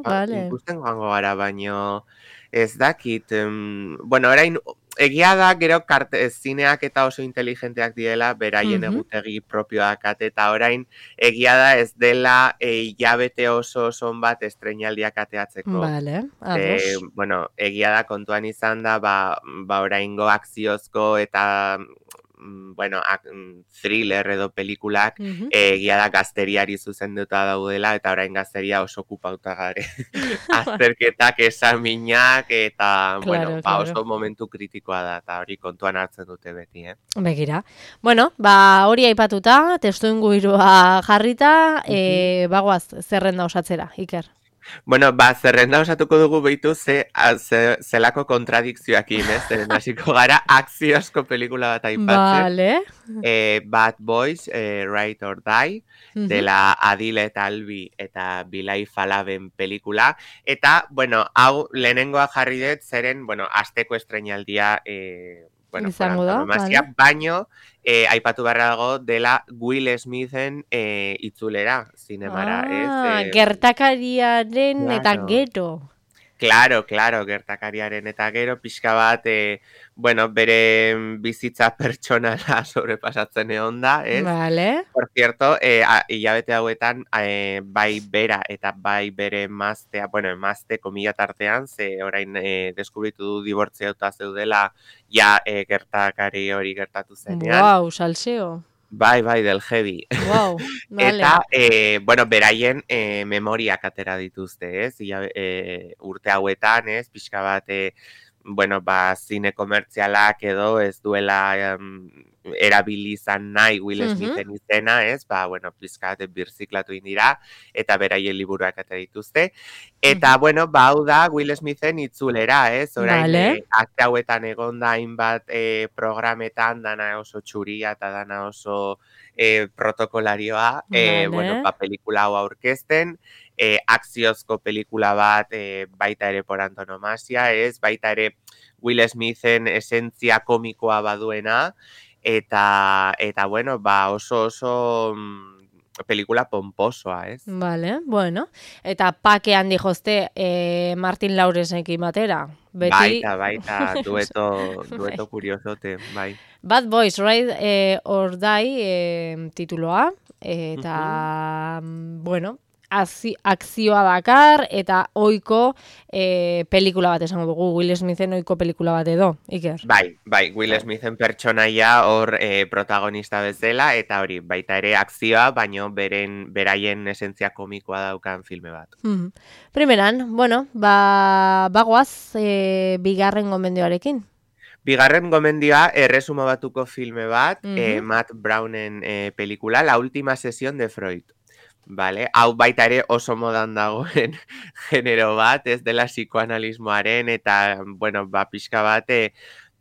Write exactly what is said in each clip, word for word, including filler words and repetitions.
ba, bale. ikusten joango gara, baino ez dakit, em, bueno, orain, egia da, gero karte, zineak eta oso inteligenteak direla, beraien Mhm. egutegi propioak ate, eta orain, egia da ez dela e, hilabete oso oso bat estreinaldiak ateatzeko. Bale, Ze, ados. bueno, egia da kontuan izan da, ba, ba oraingo akziozko eta mm, bueno, ak, mm, thriller edo pelikulak Mhm. eh, egia da gazteriari zuzenduta daudela eta orain gazteria oso okupauta gare. Azterketak, esaminak eta, bueno, Claro, ba claro. oso momentu kritikoa da eta hori kontuan hartzen dute beti, eh? Begira. Bueno, ba hori aipatuta, testuingurua jarrita, Mhm. eh bagoaz zerrenda osatzera, Iker. Bueno, ba, zerrenda osatuko dugu behitu ze, a, ze, zelako kontradikzioakin, ez? Zeren hasiko gara akziozko pelikula bat aipatzen. Vale. Eh, Bad Boys, eh, Ride or Die, Mhm. dela Adile Talbi eta Bilai Falaben pelikula. Eta, bueno, hau lehenengoa jarri dut, zeren, bueno, asteko estreinaldia, eh, bueno, por Izango da, antonomasia, vale. baino, eh, aipatu beharra dago dela Will Smithen eh, itzulera, zinemara, ez? Ah, Eh, gertakariaren eta claro. gero. Claro, claro, gertakariaren eta gero pixka bat, e, bueno, bere bizitza pertsonala sobrepasatzen egon da, ez? Vale. Por cierto, e, a, hilabete hauetan, e, bai bera eta bai bere emaztea, bueno, emazte komila tartean, ze orain e, deskubritu du dibortziauta zeudela, ja e, gertakari hori gertatu zenean. Wow, salseo. Bai, bai, del heavy. Wow, vale. Eta, e, bueno, beraien e, memoriak atera dituzte, ez? Ia, e, urte hauetan, ez? Pixka bat, e, bueno, ba, zine komertzialak edo ez duela um, erabili izan nahi Will Mhm. Smithen izena, ez? Ba, bueno, pixka bat birziklatu indira, eta beraien liburuak atera dituzte. Eta, Mhm. bueno, ba, hau da Will Smithen itzulera, ez? Orain, Vale. e, akte hauetan egon da hainbat e, programetan, dana oso txuria eta dana oso e, protokolarioa, e, bueno, Vale. ba, pelikula hau aurkezten, e, akziozko pelikula bat e, baita ere por antonomasia, ez, baita ere Will Smithen esentzia komikoa baduena, eta, eta bueno, ba, oso oso mm, pelikula pomposoa, ez? Vale, bueno. Eta pake handi jozte eh, Martin Laurensekin batera. Beti... Baita, baita, dueto, Bai. dueto kuriosote, bai. Bad Boys, Ride eh, or Die eh, tituloa. Mhm. Eta, mm, bueno, azi, akzioa dakar, eta oiko eh, pelikula bat esango dugu. Will Smithen oiko pelikula bat edo, Iker. Bai, bai, Will Bai. Smithen pertsonaia hor e, protagonista bezala, eta hori, baita ere akzioa, baino beren, beraien esentzia komikoa daukan filme bat. Mhm. Primeran, bueno, ba, bagoaz eh, bigarren gomendioarekin. Bigarren gomendioa, erresuma batuko filme bat, eh, Mhm. Matt Brownen eh, pelikula, La última sesión de Freud. Vale? Hau baita ere oso modan dagoen genero bat, ez dela psikoanalismoaren, eta, bueno, ba, pixka bat, eh,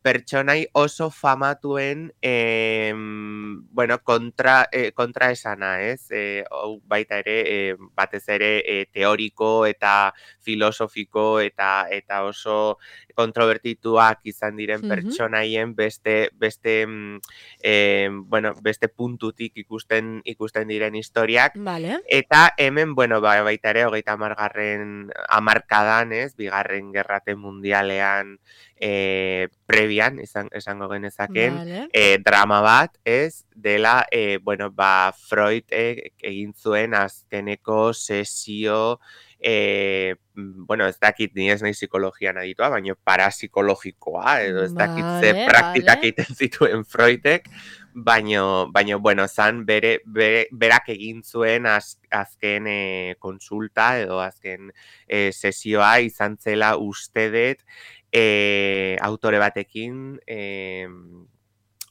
pertsonai oso famatuen eh, bueno, kontra, eh, kontra esana, ez? Eh, hau baita ere, eh, batez ere eh, teoriko eta filosofiko eta eta oso kontrobertituak izan diren Mhm. pertsonaien beste beste mm, eh, bueno, beste puntutik ikusten ikusten diren historiak. Vale. Eta hemen, bueno, ba, baita ere, hogeita hamargarren hamarkadan, ez, bigarren gerrate mundialean e, prebian, izan, esango genezaken, Vale. e, drama bat, ez, dela, e, bueno, ba, Freud e, egin zuen azkeneko sesio, e, bueno, ez dakit ni ez nahi psikologian aditua, baina parapsikologikoa, edo ez dakit ze Vale, praktikak vale. egiten zituen Freudek, baino, baino, bueno, zan bere, bere, berak egin zuen az, azken e, konsulta edo azken e, sesioa izan zela uste dut e, autore batekin e,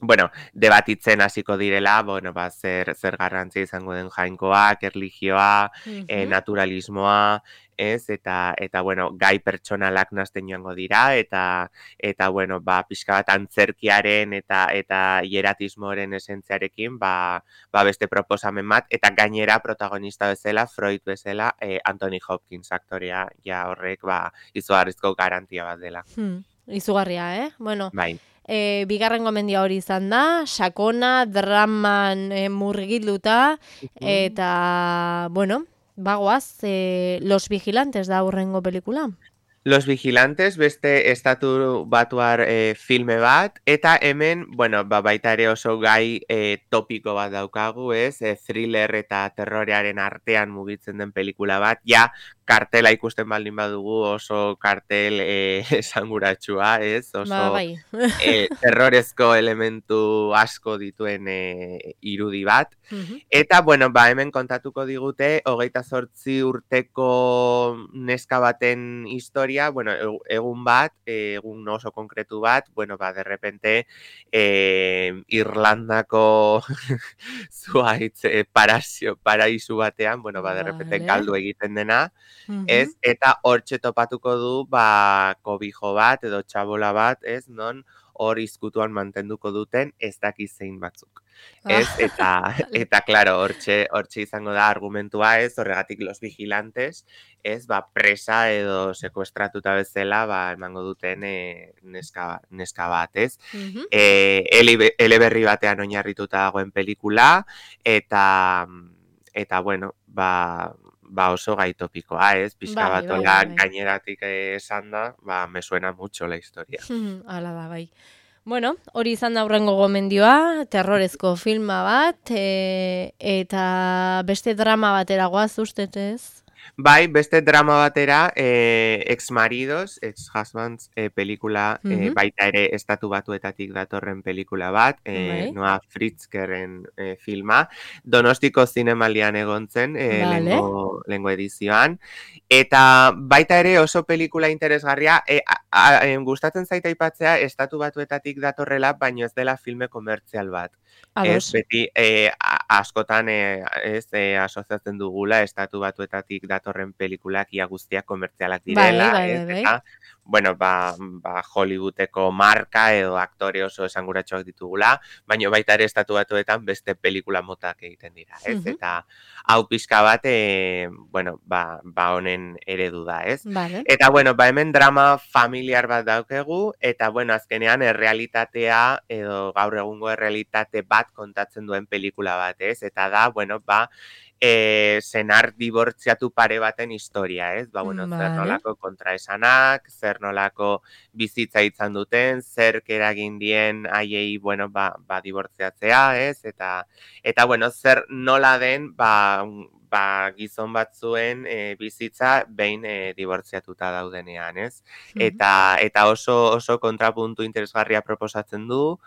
bueno, debatitzen hasiko direla, bueno, ba, zer, zer garrantzi izango den jainkoak, erlijioa, e, Mhm. naturalismoa, ez, eta, eta, bueno, gai pertsonalak nazten joango dira, eta, eta, bueno, ba, pixka bat antzerkiaren eta, eta hieratismoaren esentziarekin, ba, ba, beste proposamen bat, eta gainera protagonista bezala, Freud bezala, e, Anthony Hopkins aktorea, ja horrek, ba, izugarrizko garantia bat dela. Hmm. Izugarria, eh? Bueno, Bai. e, bigarren gomendia hori izan da, sakona, draman e, murgilduta, Mhm. eta, bueno, Bagoaz, eh, Los Vigilantes da hurrengo pelikula. Los Vigilantes beste estatu batuar e, filme bat, eta hemen, bueno, ba, baita ere oso gai e, topiko bat daukagu, ez? E, thriller eta terrorearen artean mugitzen den pelikula bat, ja, kartela ikusten baldin badugu oso kartel e, esanguratsua, ez? Ba, Oso bai. e, terrorezko elementu asko dituen e, irudi bat. Mhm. Eta, bueno, ba, hemen kontatuko digute, hogeita zortzi urteko neska baten historia, bueno, egun bat, egun oso konkretu bat, bueno, ba, de repente, eh, Irlandako zuaitz eh, parasio, paraisu batean, bueno, ba, de repente Vale. galdu egiten dena, Mhm. ez, eta hortxe topatuko du, ba, kobijo bat, edo txabola bat, ez, non, hor izkutuan mantenduko duten ez daki zein batzuk. Ez, Ah, eta, vale. eta claro, hortxe, hortxe izango da argumentua ez, horregatik Los Vigilantes, ez, ba, presa edo sekuestratuta bezala, ba, emango duten e, neska, neska bat, ez. Mhm. E, ele, eleberri batean oinarrituta dagoen pelikula, eta, eta bueno, ba, ba oso gai topikoa, ez, pixka Bai, bat bai, hola bai, bai. gaineratik esan da, ba, me suena mucho la historia. Hala da, bai. Bueno, hori izan da hurrengo gomendioa, terrorezko filma bat, e, eta beste drama batera goaz ustez ez? Bai, beste drama batera, eh, ex-maridos, ex-husbands eh, pelikula, eh, Mhm. baita ere estatu batuetatik datorren pelikula bat, eh, Bai. Noa Fritzkeren eh, filma, Donostiko zinemaldian egon zen, eh, Vale. lengo, lengo edizioan, eta baita ere oso pelikula interesgarria, eh, a, a, em, gustatzen zaita aipatzea estatu batuetatik datorrela, baino ez dela filme komertzial bat. Ez, Ados. beti eh, a- askotan eh, ez eh, asoziatzen dugula estatu batuetatik datorren pelikulak ia guztiak komertzialak Bai, direla, bai, ez, bai, bai. eta, bueno, ba, ba Hollywoodeko marka edo aktore oso esanguratsuak ditugula, baina baita ere estatu batuetan beste pelikula motak egiten dira, ez, Mhm. eta hau pixka bat, e, bueno, ba, ba honen eredu da, ez. Vale. Eta, bueno, ba hemen drama familiar bat daukegu, eta, bueno, azkenean errealitatea edo gaur egungo errealitate bat kontatzen duen pelikula bat, ez, eta da, bueno, ba, e, senar dibortziatu pare baten historia, ez? Ba, bueno, zer Vale. nolako kontraesanak, zer nolako bizitza izan duten, zer eragin dien haiei, bueno, ba, ba dibortziatzea, ez? Eta, eta bueno, zer nola den, ba, ba gizon batzuen e, bizitza behin e, dibortziatuta daudenean, ez? Mhm. Eta, eta oso, oso kontrapuntu interesgarria proposatzen du,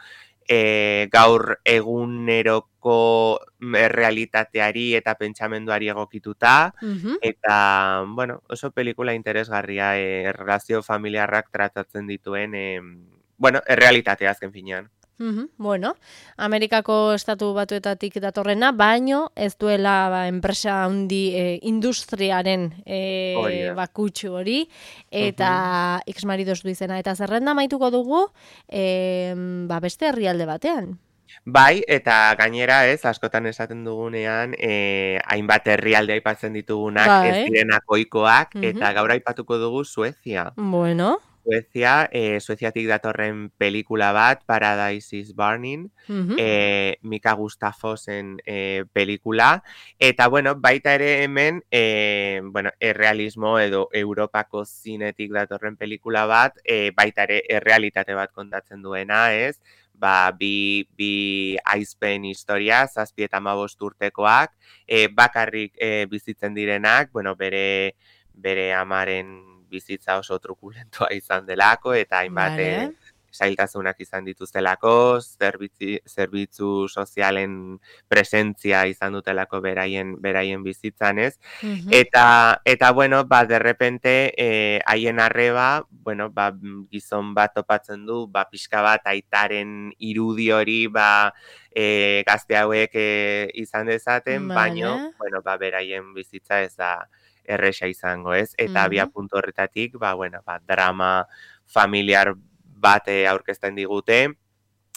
e, gaur eguneroko errealitateari eta pentsamenduari egokituta, Mhm. eta, bueno, oso pelikula interesgarria, e, relazio familiarrak tratatzen dituen, e, bueno, errealitatea azken finean. Mhm. Bueno, Amerikako estatu batuetatik datorrena, baino ez duela ba, enpresa handi e, industriaren Hori e, da. bakutsu hori, eta Mhm. ex-maridos du izena. Eta zerrenda maituko dugu e, ba, beste herrialde batean. Bai, eta gainera, ez, askotan esaten dugunean, eh, hainbat herrialde aipatzen ditugunak ez Bai. direnak ohikoak, Mhm. eta gaur aipatuko dugu Suezia. Bueno. Suezia, eh, Sueziatik datorren pelikula bat, Paradise is Burning, Mhm. eh, Mika Gustafosen eh, pelikula, eta, bueno, baita ere hemen, eh, bueno, errealismo edo Europako zinetik datorren pelikula bat, eh, baita ere errealitate bat kontatzen duena, ez? Ba, bi, bi aizpen historia, zazpi eta hamabost urtekoak, eh, bakarrik eh, bizitzen direnak, bueno, bere, bere amaren bizitza oso trukulentoa izan delako, eta hainbat e, Vale. zailtasunak izan dituztelako, zerbitzi, zerbitzu sozialen presentzia izan dutelako beraien, beraien bizitzan, ez? Mhm. Eta, eta bueno, ba, derrepente, e, haien arreba, bueno, ba, gizon bat topatzen du, ba, pixka bat aitaren irudi hori, ba, e, gazte hauek e, izan dezaten, baino, Vale. bueno, ba, beraien bizitza ez da erresa izango, ez? Eta abia Mhm. puntu horretatik, ba, bueno, ba, drama familiar bat eh, aurkezten digute,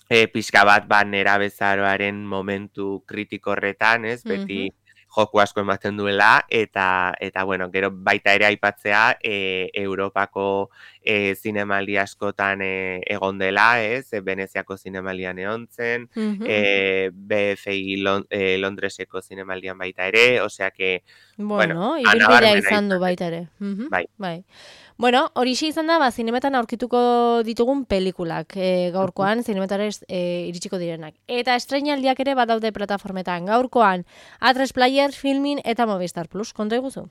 e, pixka bat, ba, nerabezaroaren momentu kritiko horretan, ez? Mhm. Beti joku asko ematen duela, eta, eta bueno, gero baita ere aipatzea e, Europako e, zinemaldi askotan e, egon dela, ez? E, Veneziako zinemaldian egon zen, Mhm. e, B F I Lon, e, Londreseko zinemaldian baita ere, osea que, bueno, Bueno, ibilbidea anabarmena izan du izan baita ere. Mhm, bai. bai. Bueno, horixe izan da, ba, zinemetan aurkituko ditugun pelikulak, e, gaurkoan, zinemetara e, iritsiko direnak. Eta estreinaldiak ere badaude plataformetan. Gaurkoan, A tres Player, Filmin eta Movistar Plus. Konta iguzu?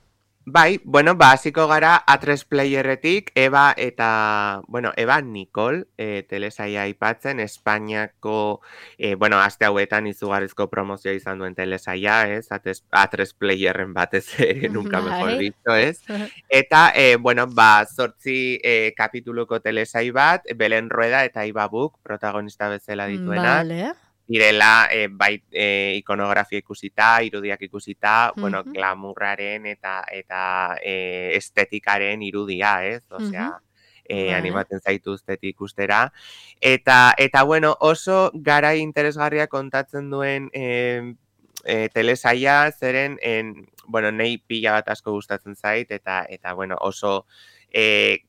Bai, bueno, ba, hasiko gara A tres Playerretik, Eba eta, bueno, Eba Nicole, e, telesaia aipatzen, Espainiako, e, bueno, aste hauetan izugarrizko promozioa izan duen telesaia, ez? A tres Playerren batez ere, nunca mejor Bai. dicho, ez? Eta, e, bueno, ba, zortzi e, kapituluko telesai bat, Belen Rueda eta Iba Buk, protagonista bezala dituenak. Vale. Direla, e, bai, e, ikonografia ikusita, irudiak ikusita, Mhm. bueno, glamurraren eta eta e, estetikaren irudia, ez? Osea, Mhm. e, Vale. animatzen zaituztetik ikustera. Eta, eta bueno, oso garai interesgarria kontatzen duen e, e, telesaia, zeren, en, bueno, nei pila bat asko gustatzen zait, eta, eta bueno, oso e,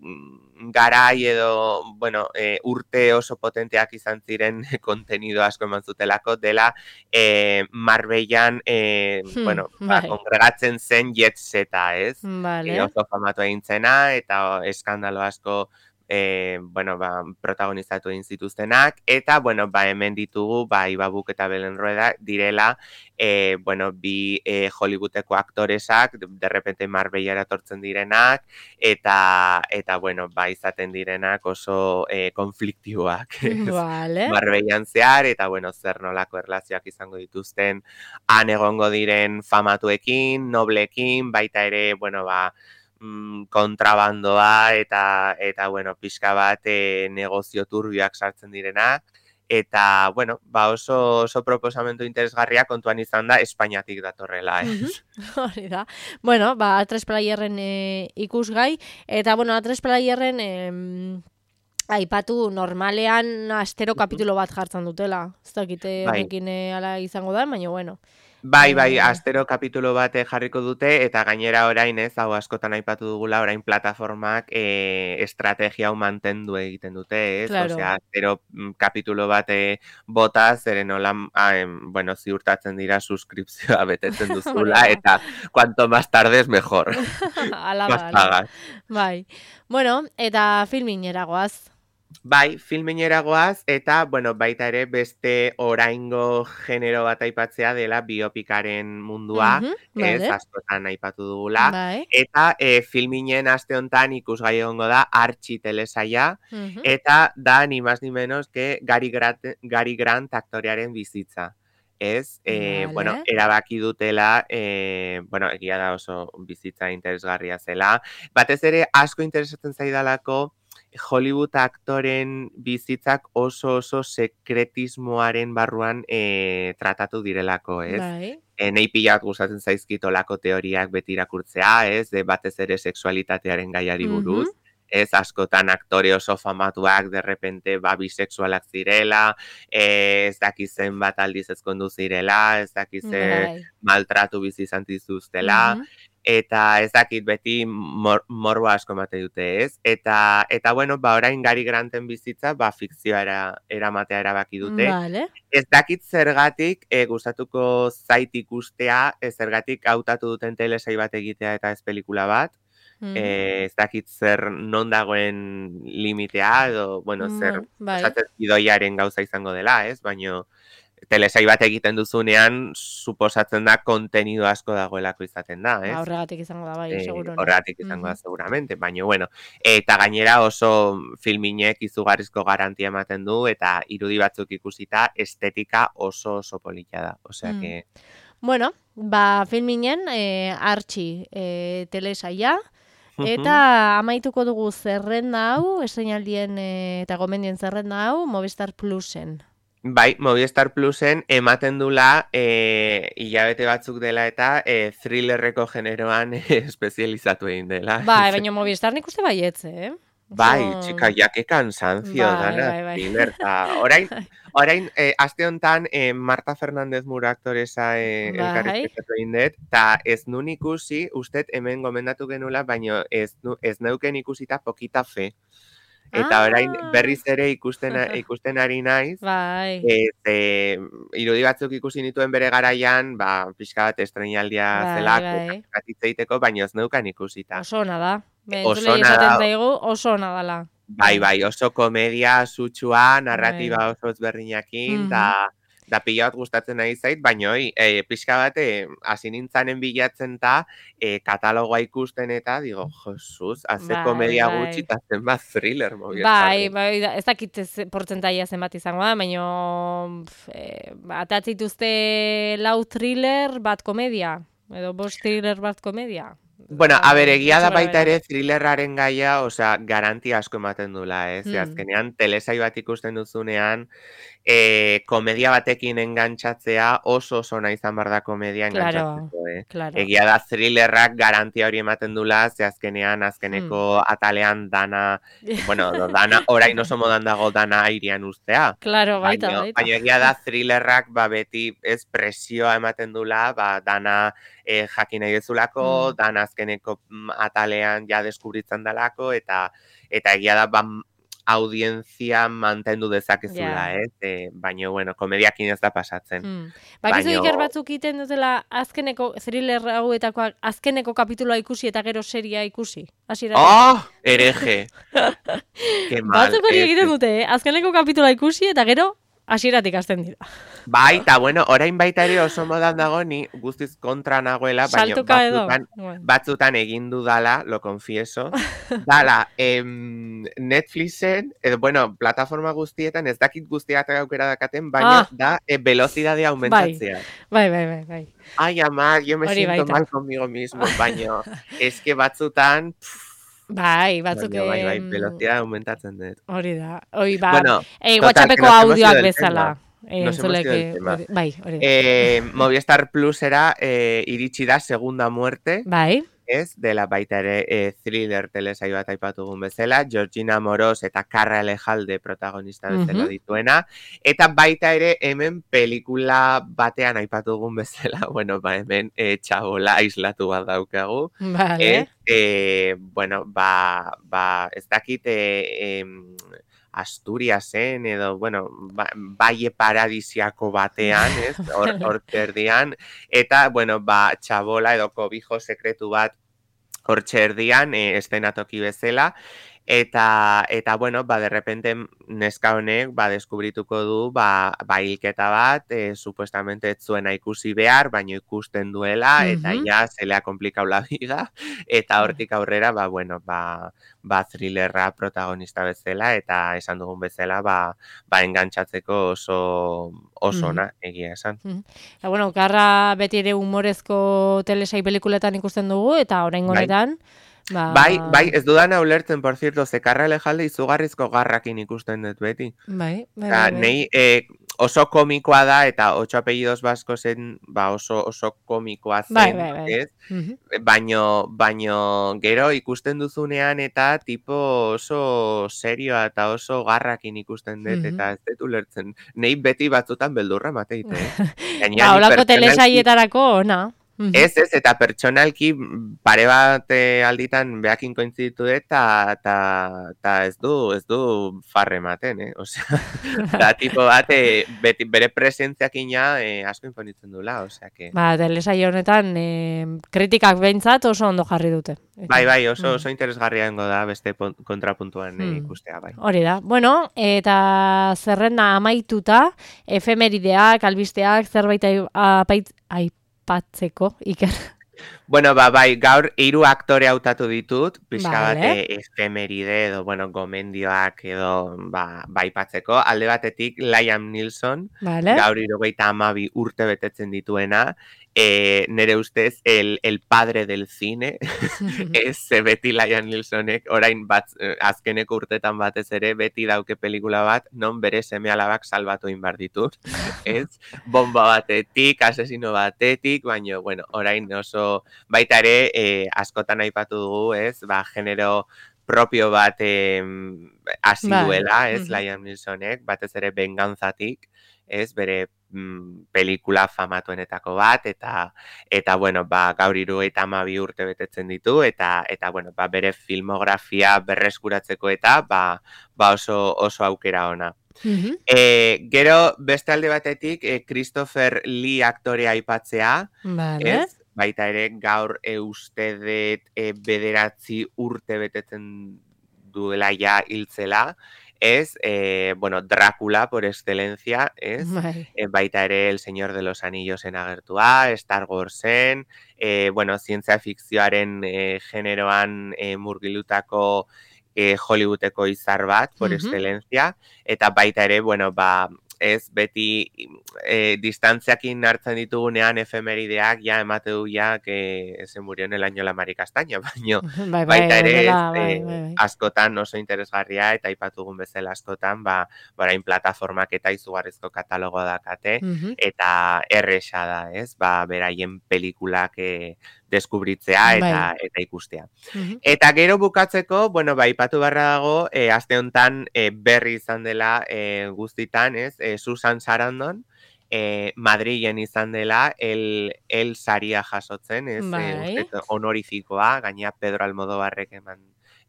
garai edo, bueno, e, urte oso potenteak izan ziren kontenido asko eman zutelako, dela e, Marbellan, e, Hmm, bueno, ba, bai. kongregatzen zen jet zeta, ez? E, Vale. oso famatu egin zena, eta eskandalo asko e, bueno, ba, protagonizatu egin zituztenak, eta, bueno, ba, hemen ditugu, ba, Iba Buk eta Belen Rueda direla, e, bueno, bi e, Hollywoodeko aktoresak, de, de repente Marbellara etortzen direnak, eta, eta, bueno, ba, izaten direnak oso e, konfliktiboak, ez? Vale. Marbellan zehar, eta, bueno, zer nolako erlazioak izango dituzten, han egongo diren famatuekin, noblekin, baita ere, bueno, ba, mm, kontrabandoa eta, eta bueno, pixka bat e, negozio turbioak sartzen direnak. Eta, bueno, ba oso, oso proposamentu interesgarria kontuan izan da Espainiatik datorrela, ez? Mhm. Hori da. Bueno, ba, A tres Playerren e, ikusgai, eta, bueno, A tres Playerren em, aipatu normalean astero kapitulo bat jartzen dutela. Ez dakite Bai. honekin e, ala izango da, baina bueno. Bai, bai, Eh, astero kapitulo bat eh, jarriko dute, eta gainera orain, ez, hau askotan aipatu dugula, orain plataformak eh, estrategia hau mantendu egiten dute, ez? Claro. Osea, astero mm, kapitulo bat eh, bota, zeren hola, ah, em, bueno, ziurtatzen dira suskripzioa betetzen duzula, Hori da. eta cuanto más tardes mejor. Ala Más da, ala da. pagas. Bai. Bueno, eta filminera goaz. Bai, filmeinera goaz, eta, bueno, baita ere beste oraingo genero bat aipatzea dela biopikaren mundua, Mhm, ez, vale. askotan aipatu dugula, Bai. eta e, filminen aste hontan ikusgai egongo da Artxi telesaia, Mhm. eta da ni más ni menos que Gary Grant, Gary Grant aktorearen bizitza. Ez, e, bueno, Vale. erabaki dutela, e, bueno, egia da oso bizitza interesgarria zela, batez ere asko interesatzen zaidalako Hollywood aktoren bizitzak oso oso sekretismoaren barruan e, tratatu direlako, ez? Bai. E, nei pila bat gustatzen zaizkitolako teoriak beti irakurtzea, ez? De batez ere sexualitatearen gaiari buruz. Mhm. Ez, askotan aktore oso famatuak de repente ba bisexualak zirela, e, ez dakizen bat aldiz ezkondu zirela, ez dakize Bai. maltratu bizi izan dituztela, Mhm. eta ez dakit beti mor, morbo asko emate dute, ez? Eta, eta bueno, ba orain Gary Granten bizitza, ba fikzioa eramatea erabaki dute. Vale. Ez dakit zergatik e, gustatuko zait ikustea, e, zergatik hautatu duten telesai bat egitea eta ez pelikula bat. Mhm. Eh, ez dakit zer non dagoen limitea, edo, bueno, zer Bueno, bai. esaten idoiaren gauza izango dela, ez? Baina telesai bat egiten duzunean, suposatzen da kontenido asko dagoelako izaten da, ez? Ba, horregatik izango da, bai, Eh, seguro. horregatik izango da, Mhm. seguramente, baina, bueno, eta gainera oso filminek izugarrizko garantia ematen du, eta irudi batzuk ikusita, estetika oso oso polita da, osea Mm. que... Bueno, ba, filminen, e, Artxi e, telesaia, Mhm. eta amaituko dugu zerrenda hau, estreinaldien e, eta gomendien zerrenda hau, Movistar Plusen. Bai, Movistar Plusen ematen dula e, hilabete batzuk dela eta e, thrillerreko generoan e, espezializatu egin dela. Bai, baina Movistar nik uste baietze, eh? Bai, txika, Oso... ja, que cansancio, Bai, dana, bai, bai. thriller, ta, orain, orain, eh, aste honetan, eh, Marta Fernández Muro aktoresa eh, Bai. elkarrizketatu egin dut, ta ez nun ikusi, ustet hemen gomendatu genula, baino ez, nu, ez neuken ikusita Pokita Fe. Eta orain Ah! berriz ere ikusten, ikusten ari naiz, Bai. ez, eh, irudi batzuk ikusi nituen bere garaian, ba, pixka bat estrenaldia Bai, zelako, bai. bat hitz egiteko, baino ez neukan ikusita. Oso ona da. Oso Entzulei ona da, esaten zaigu, oso ona dela. bai, bai, oso komedia sutsua, narratiba Bai. oso ezberdinakin, Mhm. da, da pila bat gustatzen nahi zait, baina oi, e, pixka bat, e, hasi nintzanen bilatzen ta, e, katalogoa ikusten eta, digo, Jesus, haze Bai, komedia gutxi bai. eta zenbat thriller Bai, Movistarren. bai, da- ez dakit ze- portzentaia zenbat izango da, baina e, atatze dituzte lau thriller bat komedia, edo bost thriller bat komedia. Bueno, a ber, Eh, egia da gutxi baita gorabehera. ere thrillerraren gaia, osea, garantia asko ematen dula, ez? Ze Hmm. azkenean, telesai bat ikusten duzunean, e, komedia batekin engantzatzea oso oso nahi izan behar da komedia Claro, engantzatzeko, eh? claro. Egia da thrillerrak garantia hori ematen dula, ze azkenean, azkeneko Hmm. atalean dana, bueno, do, dana, orain oso modan dago dana airean ustea. Claro, baita, Baina, baita. baina egia da thrillerrak, ba, beti ez presioa ematen dula, ba, dana e, jakin nahi dezulako, Hmm. dana azkeneko mm, atalean ja deskubritzen dalako, eta eta egia da, ba, audientzia mantendu dezakezula, Ja. ez? E, baina, bueno, komediakin ez da pasatzen. Hmm. Bakizu Baina, iker batzuk egiten dutela azkeneko thriller hauetakoak azkeneko kapituloa ikusi eta gero seria ikusi. Hasieratik. oh, hereje! Ke mal. Batzuk hori ez, egiten ez. dute, eh? Azkeneko kapituloa ikusi eta gero hasieratik hasten dira. Bai, eta bueno, orain baita ere oso modan dago ni guztiz kontra nagoela, baina Saltuka edo. batzutan, Bueno. batzutan egin dudala, lo confieso, dala, em, Netflixen, edo, bueno, plataforma guztietan, ez dakit guztiak aukera dakaten, baina Ah. da e, velocidadea aumentatzea. Bai, bai, bai, bai. Ai, ama, yo me Hori siento baita. mal conmigo mismo, baina eske batzutan, pff, Bai, batzuk... baina, bai, bai, em, velocidad aumentatzen dut. Hori da. Hori, ba, Bueno, eh, total, que WhatsAppeko nos hemos ido audioak del bezala. tema. Eh, Nos hemos ido entzuleke- del tema. hori- Bai, hori da. Eh, Movistar Plusera eh, iritsi da Segunda Muerte, Bai. ez, dela baita ere eh, thriller telesai bat aipatugun bezala, Georgina Moros eta Carra Alejalde protagonista bezala Mhm. dituena, eta baita ere hemen pelikula batean aipatugun bezala, bueno, ba hemen eh, txabola aislatu bat daukagu, Vale. ez, eh, bueno, ba, ba, ez dakit, eh, em, Asturiasen edo, bueno, ba, baie paradisiako batean, ez, hor, hor terdian, eta, bueno, ba, txabola edo kobijo sekretu bat hor txerdian, e, estenatoki bezala, eta, eta, bueno, ba, de repente neska honek, ba, deskubrituko du, ba, ba hilketa bat, e, supuestamente ez zuena ikusi behar, baino ikusten duela, eta Mhm. ja, se le ha complicado la vida, eta hortik aurrera, ba, bueno, ba, ba, thrillerra protagonista bezala, eta esan dugun bezala, ba, ba engantzatzeko oso, oso ona, egia esan. Eta, bueno, Karra beti ere humorezko telesai pelikuletan ikusten dugu, eta orain Bai. honetan, ba... Bai, bai, ez dudana ulertzen, por cierto, ze Carra Alejalde izugarrizko garrakin ikusten dut beti. Bai, bai, Eta, bai, bai. nei eh, oso komikoa da, eta ocho apellidos basko zen, ba oso, oso komikoa zen, Bai, bai, bai. ez? Mhm. Baino, baino, gero ikusten duzunean eta tipo oso serioa eta oso garrakin ikusten dut, Mhm. eta ez dut ulertzen. Nei beti batzutan beldurra mateite, eh? Ba, Gainera, ni holako pertsonalki- telesaietarako, ona. Mhm. Ez, ez, eta pertsonalki pare bat eh, alditan behakin kointzitu dut, eta ta, ta ez du, ez du farre ematen, eh? Osea, da tipo bat, eh, beti, bere presentziakin ja eh, asko imponitzen dula, osea, que... Ba, telesaio honetan, eh, kritikak behintzat oso ondo jarri dute. Bai, bai, oso, Mm. oso interesgarria dengo da beste pon- kontrapuntuan eh, Hmm. ikustea, bai. Hori da. Bueno, eta zerrenda amaituta, efemerideak, albisteak, zerbait ai- apait, aipatzeko, Iker. Bueno, ba, bai, gaur hiru aktore hautatu ditut, pixka bat Vale. eh, efemeride edo, bueno, gomendioak edo, ba, baipatzeko. Alde batetik, Liam Neeson, Vale. gaur hirurogeita hamabi urte betetzen dituena, eh, nere ustez, el, el padre del cine, ez ze beti Liam Neesonek, orain bat, eh, azkeneko urtetan batez ere, beti dauke pelikula bat, non bere seme alabak salbatu inbar ditut, ez? Bomba batetik, asesino batetik, baina, bueno, orain oso, baita ere, eh, askotan aipatu dugu, ez? Ba, genero propio bat eh, hasi Bai. duela, ez, Mhm. Liam Neesonek, batez ere bengantzatik, ez, bere mm, pelikula famatuenetako bat, eta, eta bueno, ba, gaur hirurogeita hamabi urte betetzen ditu, eta, eta bueno, ba, bere filmografia berreskuratzeko eta, ba, ba oso, oso aukera ona. Mhm. E, gero, beste alde batetik, e, Christopher Lee aktorea aipatzea, Vale. ez? Baita ere, gaur e, uste dut e, bederatzi urte betetzen duela ja hiltzela, ez? E, bueno, Drácula, por excelencia, ez? Bai. E, baita ere, El Señor de los Anillos en agertua, Star Warsen, e, bueno, zientzia fikzioaren e, generoan e, murgilutako e, Hollywoodeko izar bat, por Mhm. excelencia, eta baita ere, bueno, ba, ez beti e, distantziakin hartzen ditugunean efemerideak ja emate du ja que se murió en el año la Mari Castaña, baino Bai, bai, baita ere ez, horrela, bai, e, bai, bai. askotan oso interesgarria eta aipatugun bezala askotan, ba, orain plataformak eta izugarrizko katalogo dakate, Mhm. eta erresa da, ez? Ba, beraien pelikulak e, deskubritzea eta, Bai. eta ikustea. Mhm. Eta gero bukatzeko, bueno, ba, ipatu barra dago, e, aste honetan e, berri izan dela e, guztitan, ez? E, Susan Sarandon, e, Madrilen izan dela, el, el saria jasotzen, ez? E, Bai. uste honorifikoa, gaina Pedro Almodóvarrek eman,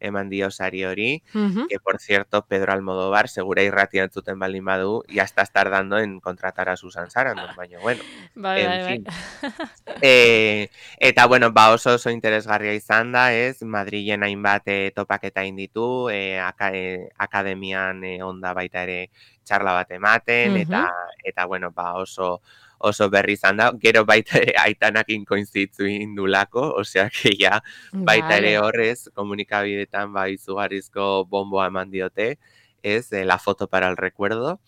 eman dio sari hori, Mhm. que por cierto, Pedro Almodóvar, segura irratia entzuten baldin badu, ya estás tardando en contratar a Susan Sarandon, baina bueno, Bai, en bai, bai. fin. E, eta, bueno, ba oso oso interesgarria izan da, ez? Madrilen hainbat e, topaketa egin ditu, e, aka, e, akademian e, onda baita ere txarla bat ematen, eta, Mhm. eta bueno, ba oso oso berri izan da, gero baita ere aitanakin koinzitzu indulako, osea que ja, baita ere Vale. horrez, komunikabidetan ba izugarrizko bomboa eman diote, ez? E, la foto para el recuerdo.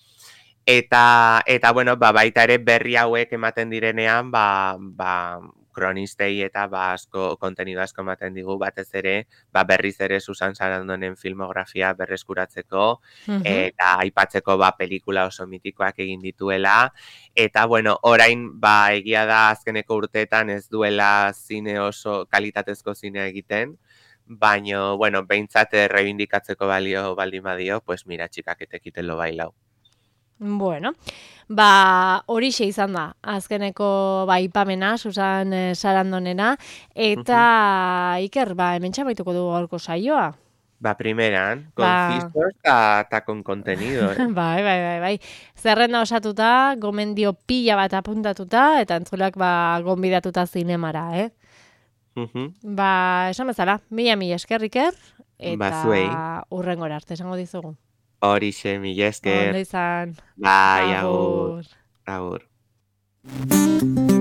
Eta, eta bueno, ba, baita ere berri hauek ematen direnean, ba, ba, kronistei eta ba, asko, kontenido asko ematen digu, batez ere, ba, berriz ere Susan Sarandonen filmografia berreskuratzeko, Mhm. eta aipatzeko ba, pelikula oso mitikoak egin dituela, eta bueno, orain, ba, egia da azkeneko urteetan ez duela zine oso, kalitatezko zinea egiten, baino, bueno, behintzat reibindikatzeko balio baldin badio, pues mira, txikak etekiten lo bailau. Bueno, ba, horixe izan da, azkeneko ba, ipamena, Susan eh, Sarandonena, eta Iker, ba, hemen txabaituko dugu gaurko saioa. Va primeran, Ba, concisos eta con contenido, eh? bai, bai, bai, bai. Zerrenda osatuta, gomendio pila bat apuntatuta, eta entzulak ba, gonbidatuta zinemara, eh? Uh-huh. Ba, esan bezala, mila mila esker, Iker, Ba, eta zuei, hurrengora arte, esango dizugu. horixe, mila Ondo esker, izan, bai, agur, agur. agur.